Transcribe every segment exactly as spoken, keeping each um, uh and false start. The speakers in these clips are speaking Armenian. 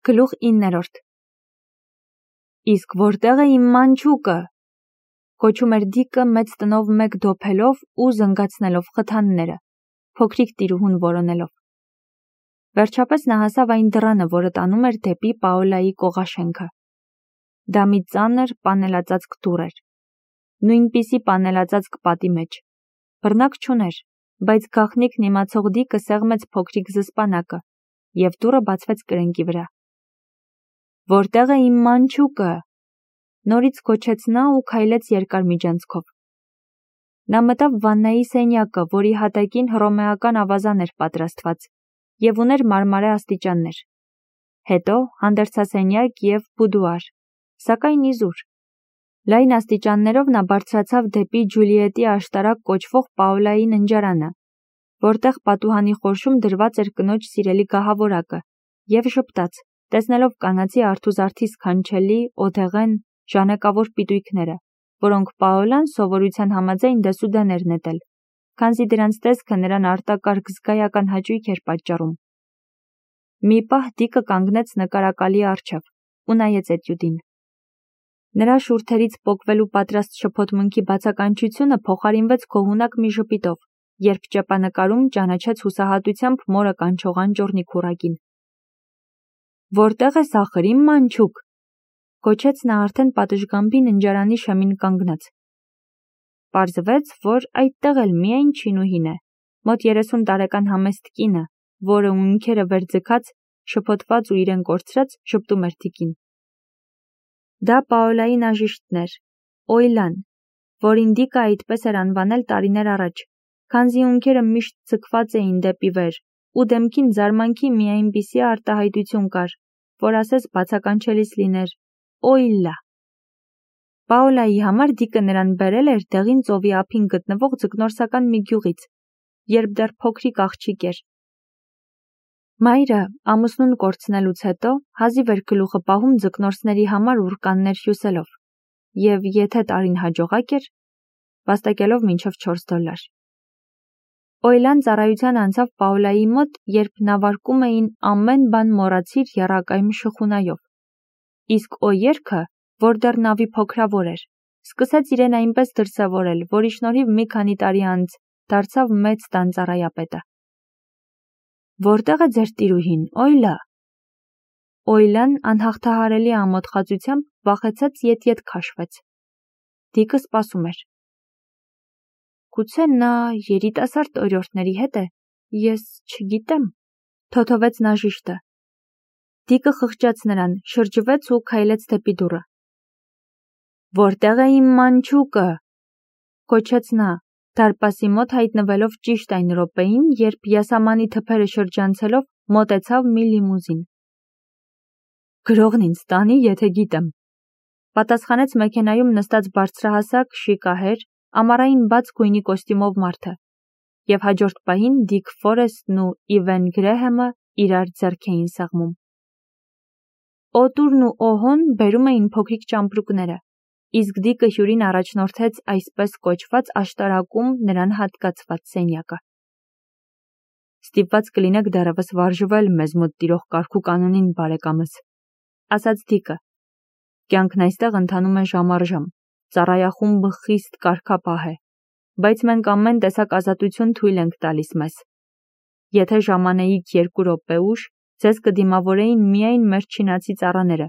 Գլուխ իններորդ Իսկ որտեղ է իմ մանչուկը, կոչում էր Դիկը մեծ տնով մեկ դոփելով ու զնգացնելով խթանները, փոքրիկ տիրուհուն որոնելով։ Վերջապես նա հասավ այն դռանը, որը տանում էր դեպի Պաոլայի կողաշենքը։ Դա մի ծանր պանելածածկ դուռ էր, նույնպիսի պանելածածկ պատի մեջ, բռնակ չուներ, բայց գաղտնիքն իմացող Դիկը սեղմեց փոքրիկ զսպանակը, և դուռը բացվեց կրկնակի վրա։ Որտեղ է իմ մանչուկը, նորից գոչեց նա ու քայլեց երկար միջանցքով։ Նա մտավ վաննայի սենյակը, որի հատակին հռոմեական ավազան էր պատրաստված և ուներ մարմարե աստիճաններ, հետո հանդերձասենյակ և բուդուար, սակայն իզուր։ Լայն աստիճաններով նա բարձրացավ դեպի Ջուլիետի աշտարակ կոչվող Պաոլայի ննջարանը, որտեղ պատուհանի խորշում դրված էր կնոջ սիրելի գահավորակը, և ժպտաց, տեսնելով կանացի արթուզարդի սքանչելի, օդեղեն, ժանեկավոր պիտույքները, որոնք Պաոլան սովորության համաձայն դեսուդեն էր նետել, քանզի դրանց տեսքը նրան արտակարգ զգայական հաճույք էր պատճառում։ Մի պահ Դիկը կանգնեց նկարակալի առջև ու նայեց էտյուդին։ Նրա շուրթերից պոկվելու պատրաստ շփոթմունքի բացականչությունը փոխարինվեց գոհունակ մի ժպիտով, երբ ճեպանկարում ճանաչեց հուսահատությամբ մորը կանչող անճոռնի քուռակին։ Որտեղ ես ախր իմ մանչուկ, գոչեց նա արդեն պատշգամբի ննջարանի շեմին կանգնած։ Պարզվեց, որ այդտեղ էլ միայն չինուհին է, մոտ երեսուն տարեկան համեստ կինը, որը ունքերը վեր ձգած, շփոթված ու իրեն կորցրած, ժպտում էր Դիկին։ Դա Պաոլայի նաժիշտն էր, Օյլան, որին Դիկը այդպես էր անվանել տարիներ առաջ, քանզի ունքերը միշտ ձգված էին դեպի վեր, ու դեմքին զարմանքի մի այնպիսի արտահայտություն կար, որ ասես բացականչելիս լիներ Օյլա։ Պաոլայի համար Դիկը նրան բերել էր դեղին ծովի ափին գտնվող ձկնորսական մի գյուղից, երբ դեռ փոքրիկ աղջիկ էր։ Մայրը, ամուսնուն կորցնելուց հետո, հազիվ էր գլուխը պահում ձկնորսների համար ուռկաններ հյուսելով, և եթե տարին հաջողակ էր, վաստակելով մինչև չորս դոլար։ Օյլան ծառայության անցավ Պաոլայի մոտ, երբ նավարկում էին ամեն բան մոռացիր եռակայմ շխունայով, իսկ օերքը, որ դեռ նավի փոքրավոր էր, սկսեց իրեն այնպես դրսևորել, որի շնորհիվ մի քանի տարի անց դարձավ մեծ տան ծառայապետը։ Որտեղ է ձեր տիրուհին, Օյլա։ Օյլան անհաղթահարելի ամոթխածությամբ վախեցած ետ-ետ քաշվեց։ Դիկը սպասում էր։ Գուցե նա երիտասարդ օրիորդների հետ է, ես չգիտեմ, թոթովեց նաժիշտը։ Դիկը խղճաց նրան, շրջվեց ու քայլեց դեպի դուռը։ Որտեղ է իմ մանչուկը, գոչեց նա, դարպասի մոտ հայտնվելով ճիշտ այն րոպեին, երբ յասամանի թփերը շրջանցելով մոտեցավ մի լիմուզին։ Գրողն ինձ տանի, եթե գիտեմ, պատասխանեց մեքենայում նստած բարձրահասակ, շիկահեր, ամառային բաց գույնի կոստյումով մարդը, և հաջորդ պահին Դիկ Ֆորեսթն ու Իվեն Գրեհեմը իրար ձեռք էին սեղմում։ Օտուրն ու Օհոն բերում էին փոքրիկ ճամպրուկները, իսկ Դիկը հյուրին առաջնորդեց այսպես կոչված աշտարակում նրան հատկացված սենյակը։ Ստիպված կլինեք դեռևս վարժվել մեզ մոտ տիրող կարգուկանոնին, բարեկամս, ասաց Դիկը։ Կյանքն այստեղ ընթանում է ժամ առ ժամ, ծառայախումբը խիստ կարգապահ է, բայց մենք ամեն տեսակ ազատություն թույլ ենք տալիս մեզ։ Եթե ժամանեիք երկու րոպե ուշ, ձեզ կդիմավորեին միայն մեր չինացի ծառաները,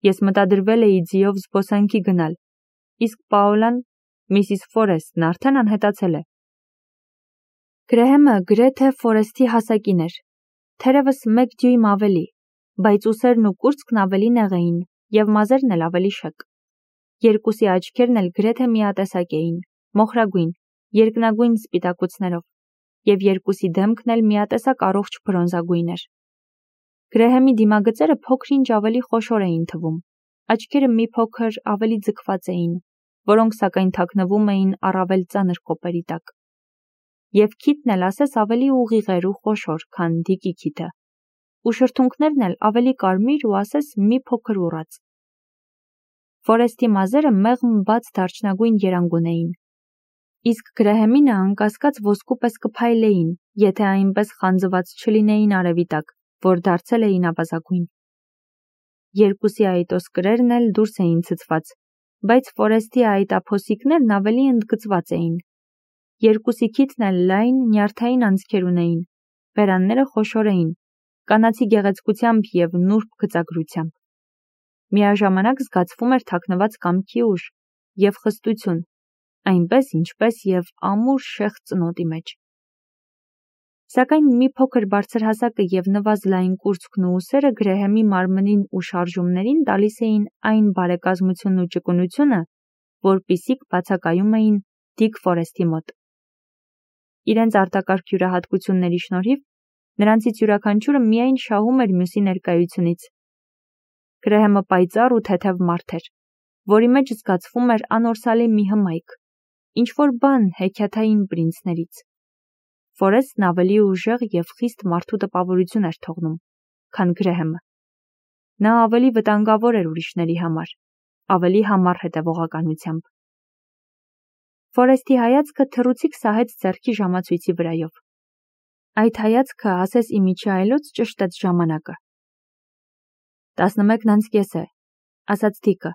ես մտադրվել էի ձիով զբոսանքի գնալ, իսկ Պաոլան, Միսիս Ֆորեսթն արդեն անհետացել է։ Գրեհեմը գրեթե Ֆորեսթի հասակին էր, թերևս մեկ դյույմ ավելի, բայց ուսերն ու կուրծքն ավելի նեղ էին, և մազերն էլ ավելի շեկ։ Երկուսի աչքերն էլ գրեթե միատեսակ էին, մոխրագույն, երկնագույն սպիտակուցներով, և երկուսի դեմքն էլ միատեսակ առողջ բրոնզագույն էր։ Գրեհեմի դիմագծերը փոքր-ինչ ավելի խոշոր էին թվում, աչքերը մի փոքր ավելի ձգված էին, որոնք սակայն թաքնվում էին առավել ծանր կոպերի տակ։ Եվ քիթն էլ ասես ավելի ուղիղ էր ու խոշոր, քան Դիկի քիթը, ու շրթունքներն էլ ավելի կարմիր ու ասես մի փոքր ուռած։ Ֆորեսթի մազերը մեղմ բաց դարչնագույն երանգ ունեին, իսկ Գրեհեմինը անկասկած ոսկու պես կփայլեին, եթե այնպես խանձված չլինեին արևի տակ, որ դարձել էին ավազագույն։ երկուսի այտոսկրերն էլ դուրս էին ցցված, բայց Ֆորեսթի այտափոսիկներն ավելի ընդգծված էին։ Երկուսի քիթն էլ լայն, նյարդային անցքեր ունեին, բերանները խոշոր էին, կանացի գեղեցկությամբ և նուրբ գծագրությամբ։ Միաժամանակ զգացվում էր թաքնված կամքի ուժ և խստություն, այնպես ինչպես և ամուր շեղ ծնոտի մեջ։ Սակայն մի փոքր բարձրահասակը և նվազ լայն կուրծքն ու ուսերը Գրեհեմի մարմնին ու շարժումներին տալիս էին այն բարեկազմությունն ու ճկունությունը, որպիսիք բացակայում էին Դիկ Ֆորեսթի մոտ։ Իրենց արտակարգ յուրահատկությունների շնորհիվ նրանցից յուրաքանչյուրը միայն շահում էր մյուսի ներկայությունից։ Գրեհեմը պայծառ ու թեթև մարդ էր, որի մեջ զգացվում էր անորսալի մի հմայք, ինչ-որ բան հեքիաթային պրինցներից։ Ֆորեսթն ավելի ուժեղ և խիստ մարդու տպավորություն էր թողնում, քան Գրեհեմը։ Նա ավելի վտանգավոր էր ուրիշների համար, ավելի համառ հետևողականությամբ։ Ֆորեսթի հայացքը թռուցիկ սահեց ձեռքի ժամացույցի վրայով։ Այդ հայացքը ասես իմիջի այլոց ճշտեց ժամանակը։ տասնմեկն անց կես է, ասաց Դիկը։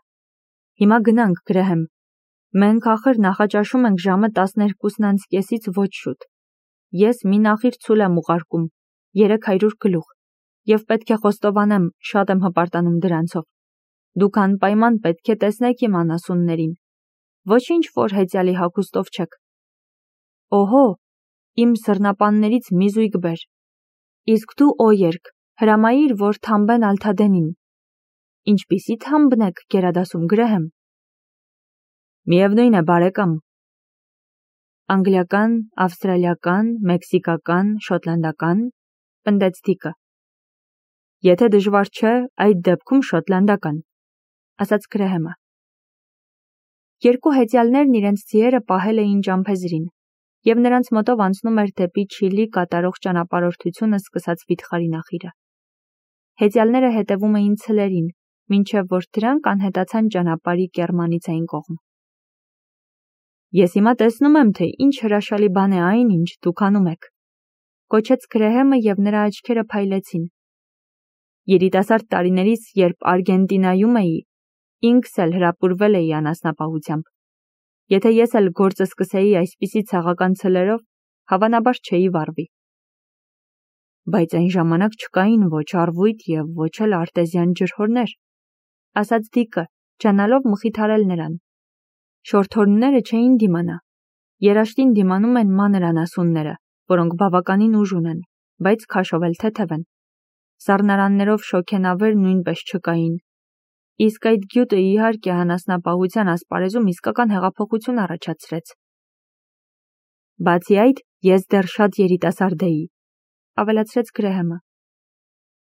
Հիմա գնանք, Գրեհեմ։ Մենք ախր նախաճաշում ենք ժամը տասներկուսն անց կեսից ոչ շուտ։ Ես մի նախիր ցուլ եմ ուղարկում, երեք հարյուր գլուխ, և պետք է խոստովանեմ, շատ եմ հպարտանում դրանցով։ Դուք անպայման պետք է տեսնեք իմ անասուններին։ Ոչինչ որ հեծյալի հագուստով չեք։ Օհո, իմ սռնապաններից մի զույգ բեր։ Իսկ դու օերք, հրամայիր, որ թամբեն Ալթադենին։ Ինչպիսի թամբն եք գերադասում, Գրեհեմ։ Միևնույն է, բարեկամ։ Անգլիական, ավստրալիական, մեքսիկական, շոտլանդական, պնդեց Դիկը։ Եթե դժվար չէ, այդ դեպքում շոտլանդական, ասաց Գրեհեմը։ Երկու հեծյալներն իրենց ձիերը պահել էին ճամփեզրին, և նրանց մոտով անցնում էր դեպի Չիլի կատարող ճանապարհորդությունը սկսած վիթխարի նախիրը։ Հեծյալները հետևում էին ցլերին, մինչև որ դրանք անհետացան ճանապարհի կեռմանից այն կողմ։ Ես հիմա տեսնում եմ, թե ինչ հրաշալի բան է այն, ինչ դուք անում եք, կոչեց Գրեհեմը և նրա աչքերը փայլեցին։ Երիտասարդ տարիներիս, երբ Արգենտինայում էի, ինքս էլ հրապուրվել էի անասնապահությամբ։ Եթե ես էլ գործը սկսեի այսպիսի ցեղական ցլերով, հավանաբար չէի վառվի։ Բայց այն ժամանակ չկային ոչ առվույթ և ոչ էլ արտեզյան ջրհորներ, ասաց Դիկը, ջանալով մխիթարել նրան։ Շորթորնները չէին դիմանա։ Երաշտին դիմանում են մանր անասունները, որոնք բավականին ուժ ունեն, բայց քաշով էլ թեթև են։ Սառնարաններով շոգենավեր նույնպես չկային։ Իսկ այդ գյուտը իհարկե անասնապահության ասպարեզում իսկական հեղափոխություն առաջացրեց։ Բացի այդ, ես դեռ շատ երիտասարդ էի, ավելացրեց Գրեհեմը։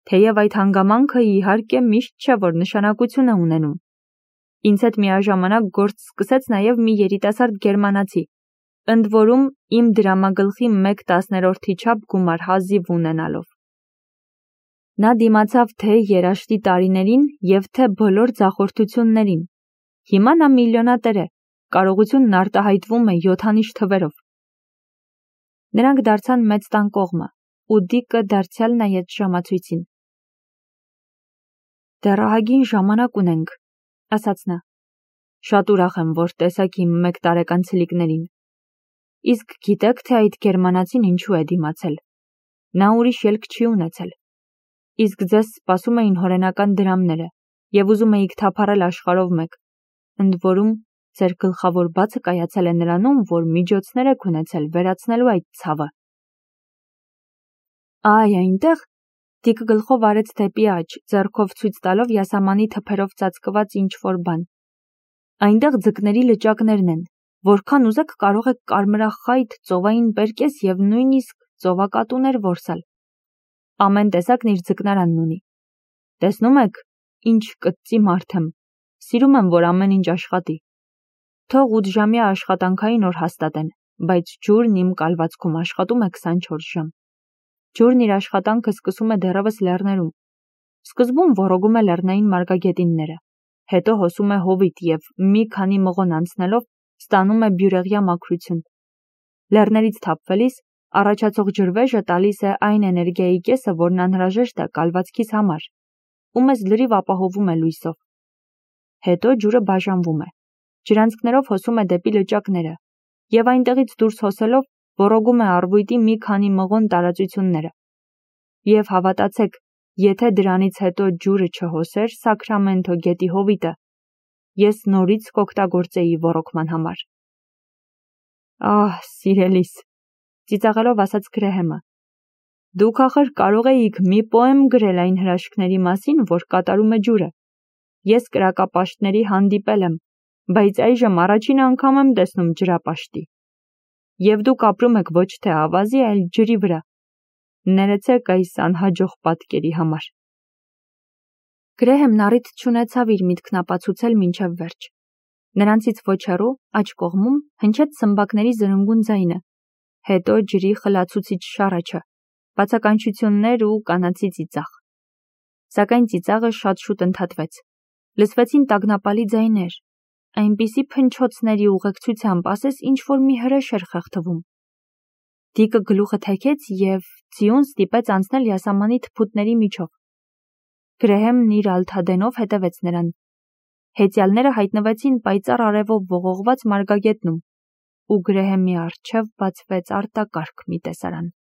Թեև այդ հանգամանքը իհարկե միշտ չէ, որ նշանակություն է ունենում։ Ինձ հետ միաժամանակ գործ սկսեց նաև մի երիտասարդ գերմանացի, ընդ որում իմ դրամագլխի մեկ տասներորդի չափ գումար հազիվ ունենալով։ Նա դիմացավ թե երաշտի տարիներին և թե բոլոր ձախորդություններին։ Հիմա նա միլիոնատեր է, կարողությունն արտահայտվում է յոթանիշ թվերով։ Նրանք դարձան մեծ տան կողմը, ու Դիկը դարձյալ նայեց ժամացույցին։ Դեռ ահագին ժամանակ ունենք, ասաց նա։ Շատ ուրախ եմ, որ տեսակ իմ մեկ տարեկան ցլիկներին։ Իսկ գիտեք, թե այդ գերմանացին ինչու է դիմացել։ Նա ուրիշ ելք չի ունեցել։ Իսկ ձեզ սպասում էին հորենական դրամները, և ուզում էիք թափառել աշխարհով մեկ, ընդ որում ձեր գլխավոր բացը կայացել է նրանում, որ միջոցներ եք ունեցել վերացնելու այդ ցավը։ Այ այնտեղ, Դիկը գլխով արեց դեպի աջ, ձեռքով ցույց տալով յասամանի թփերով ծածկված ինչ-որ բան։ Այնտեղ ձկների լճակներն են, որքան ուզեք կարող եք կարմրախայտ, ծովային պերկես և նույնիսկ ծովակատուներ որսալ։ Ամեն տեսակն իր ձկնարանն ունի։ Տեսնում եք, ինչ կծծի մարդ եմ, սիրում եմ, որ ամեն ինչ աշխատի։ Թող ութժամյա աշխատանքային օր հաստատեն, բայց ջուրն իմ կալվածքում աշխատում է քսանչորս ժամ։ Ջուրն իր աշխատանքը սկսում է դեռևս լեռներում։ Սկզբում ոռոգում է լեռնային մարգագետինները, հետո հոսում է հովիտ և մի քանի մղոն անցնելով ստանում է բյուրեղյա մաքրություն։ Լեռներից թափվելիս առաջացող ջրվեժը տալիս է այն էներգիայի կեսը, որն անհրաժեշտ է կալվածքիս համար, ու մեզ լրիվ ապահովում է լույսով։ Հետո ջուրը բաժանվում է, ջրանցքներով հոսում է դեպի լճակները և այնտեղից դուրս հոսելով ոռոգում է առվույտի մի քանի մղոն տարածությունները։ Եվ հավատացեք, եթե դրանից հետո ջուրը չհոսեր Սաքրամենթո գետի հովիտը, ես նորից կօգտագործեի ոռոգման համար։ Ահ, սիրելիս, ծիծաղելով ասաց Գրեհեմը, դուք ախր կարող էիք մի պոեմ գրել այն հրաշքների մասին, որ կատարում է ջուրը։ Ես կրակապաշտների հանդիպել եմ, բայց այժմ առաջին անգամ եմ տեսնում ջրապաշտի։ Եվ դուք ապրում եք ոչ թե ավազի, այլ ջրի վրա։ Ներեցեք այս անհաջող պատկերի համար։ Գրեհեմն առիթ չունեցավ իր միտքն ապացուցել մինչև վերջ։ Նրանցից ոչ հեռու, աջ կողմում, հնչեց սմբակների զրնգուն ձայնը, հետո ջրի խլացուցիչ շառաչը, բացականչություններ ու կանացի ծիծաղ։ Սակայն ծիծաղը շատ շուտ ընդհատվեց։ Լսվեցին տագնապալի ձայներ, այնպիսի փնչոցների ուղեկցությամբ, ասես ինչ-որ մի հրեշ էր խեղդվում։ Դիկը գլուխը թեքեց և ձիուն ստիպեց անցնել յասամանի թփուտների միջով։ Գրեհեմն իր ալթադենով հետևեց նրան։ Հեծյալները հայտնվեցին պայծառ արևով ողողված մարգագետնում, ու Գրեհեմի առջև բացվեց արտակարգ մի տեսարան։